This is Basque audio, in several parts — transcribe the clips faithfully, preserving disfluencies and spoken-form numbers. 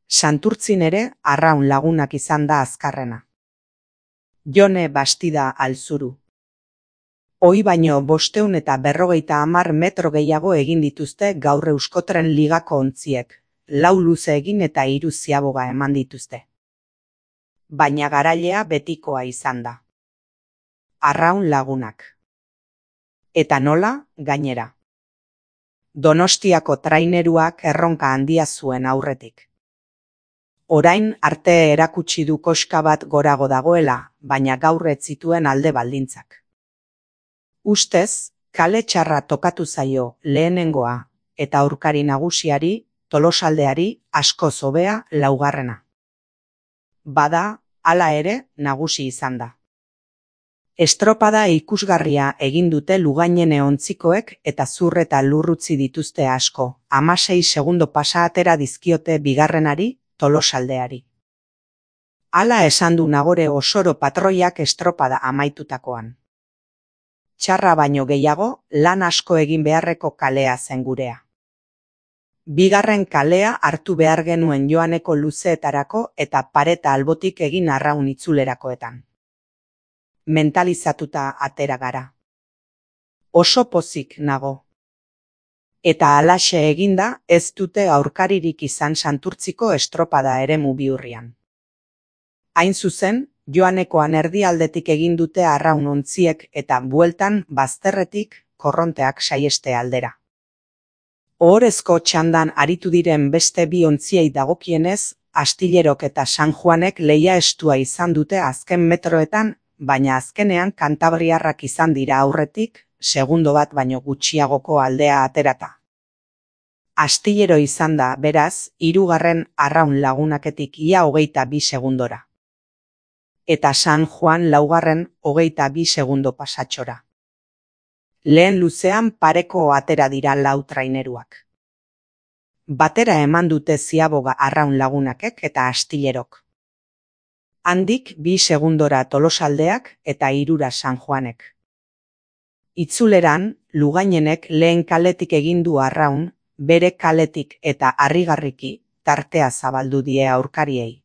Santurtzin ere Arraun Lagunak izan da azkarrena. Jone Bastida Alzuru. Hoi baino bosteun eta berrogeita hamar metro gehiago egin dituzte gaur Euskotren Ligako ontziek, lau luze egin eta hiru ziaboga eman dituzte. Baina garailea betikoa izan da. Arraun Lagunak. Eta nola, gainera. Donostiako traineruak erronka handia zuen aurretik. Orain arte erakutsi du koska bat gorago dagoela, baina gaur ez zituen alde baldintzak. Ustez, kale txarra tokatu zaio lehenengoa eta aurkari nagusiari, Tolosaldeari asko hobea laugarrena. Bada, hala ere, nagusi izan da. Estropada ikusgarria egin dute Lugainene ontzikoek eta zur eta lurrutzi dituzte asko, hamasei segundo pasa atera dizkiote bigarrenari, Tolosaldeari. Hala esan du Nagore Osoro patroiak estropada amaitutakoan. Txarra baino gehiago, lan asko egin beharreko kalea zen gurea. Bigarren kalea hartu behar genuen joaneko luzeetarako eta pareta albotik egin Arraun itzulerakoetan. Mentalizatuta atera gara. Oso pozik nago. Eta halaxe eginda ez dute aurkaririk izan Santurtziko estropada eremu bihurrian. Hain zuzen, joanekoan erdialdetik egin dute Arraun ontziek eta bueltan bazterretik korronteak saieste aldera. Ohorezko txandan aritu diren beste bi ontziei dagokienez, Astillerok eta San Juanek lehia estua izan dute azken metroetan, baina azkenean kantabriarrak izan dira aurretik, segundo bat baino gutxiagoko aldea aterata. Astillero izan da, beraz, hirugarren Arraun Lagunaketik ia hogeita bi segundora. Eta San Juan laugarren hogeita bi segundo pasatxora. Lehen luzean pareko atera dira lau traineruak. Batera eman dute ziaboga Arraun Lagunakek eta Astillerok. Handik bi segundora Tolosaldeak eta hirura San Juanek. Itzuleran, Lugainenek lehen kaletik egin du Arraun, bere kaletik eta harrigarriki tartea zabaldu die aurkariei.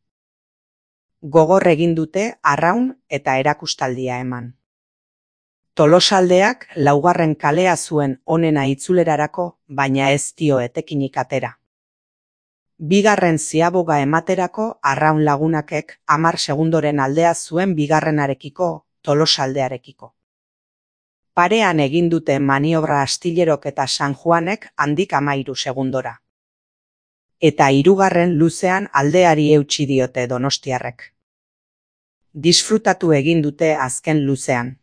Gogor egin dute Arraun eta erakustaldia eman. Tolosaldeak laugarren kalea zuen onena itzulerarako, baina ez dio etekinik atera. Bigarren ziaboga ematerako Arraun Lagunakek hamar segundoren aldea zuen bigarrenarekiko, Tolosaldearekiko. Parean egin dute maniobra Astillerok eta San Juanek handik hamairu segundora. Eta hirugarren luzean aldeari eutsi diote donostiarrek. Disfrutatu egin dute azken luzean.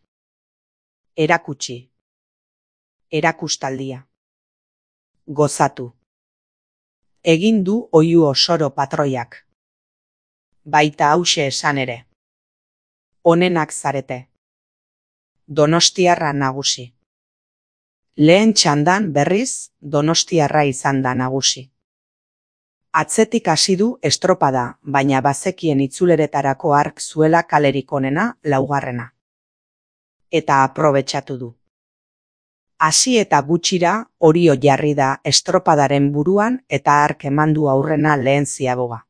Erakutsi. Erakustaldia. Gozatu. Egin du Oihu Osoro patroiak. Baita hause esan ere. Onenak zarete. Donostiarra nagusi. Lehen txandan berriz, Donostiarra izan da nagusi. Atzetik hasi du estropada, baina bazekien itzuleretarako ark zuela kalerik onena laugarrena. Eta aprobetxatu du. Hasi eta gutxira Orio jarri da estropadaren buruan eta ark emandu aurrena lehen ziaboga.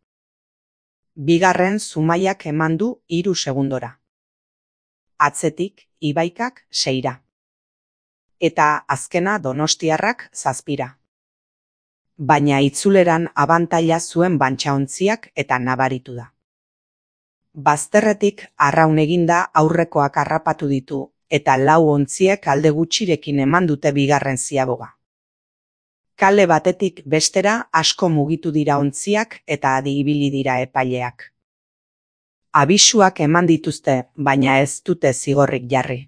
Bigarren Zumaiak emandu hiru segundora. Atzetik Ibaikak seira. Eta azkena Donostiarrak zazpira. Baina itzuleran abantaila zuen bantxaontziak eta nabaritu da. Bazterretik Arraun eginda aurrekoak harrapatu ditu, eta lau ontziek alde gutxirekin eman dute bigarren ziaboga. Kale batetik bestera asko mugitu dira ontziak eta adi ibili dira epaileak. Abisuak eman dituzte, baina ez dute zigorrik jarri.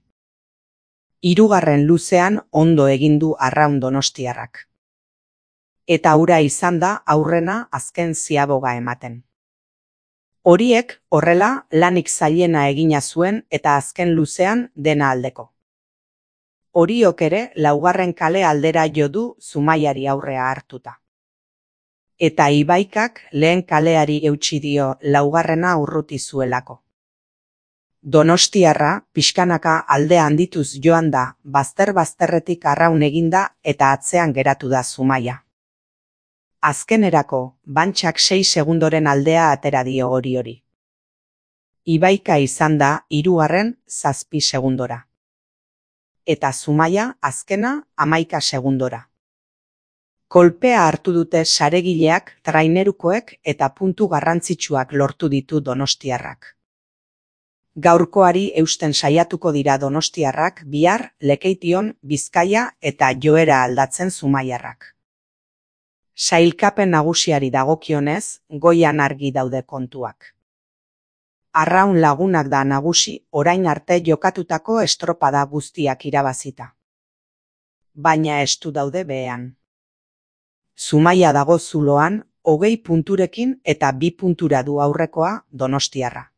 Hirugarren luzean ondo egin du Arraun Donostiarrak. Eta hura izan da aurrena azken ziaboga ematen. Horiek horrela lanik zailena egina zuen eta azken luzean dena aldeko. Oriok ere laugarren kale aldera jo du Zumaiari aurrea hartuta. Eta Ibaikak lehen kaleari eutsi dio laugarrena urruti zuelako. Donostiarra pixkanaka alde handituz joan da, bazter-bazterretik Arraun eginda eta atzean geratu da Zumaia. Azkenerako, Bantxak sei segundoren aldea atera dio hori hori. Ibaika izan da hirugarren zazpi segundora. Eta Zumaia azkena hamaika segundora. Kolpea hartu dute saregileak, trainerukoek eta puntu garrantzitsuak lortu ditu donostiarrak. Gaurkoari eusten saiatuko dira donostiarrak bihar Lekeition, Bizkaia eta joera aldatzen zumaiarrak. Sailkapen nagusiari dagokionez, goian argi daude kontuak. Arraun Lagunak da nagusi orain arte jokatutako estropada guztiak irabazita. Baina estu daude behean. Zumaia dago zuloan, hogei punturekin eta bi puntura du aurrekoa Donostiarra.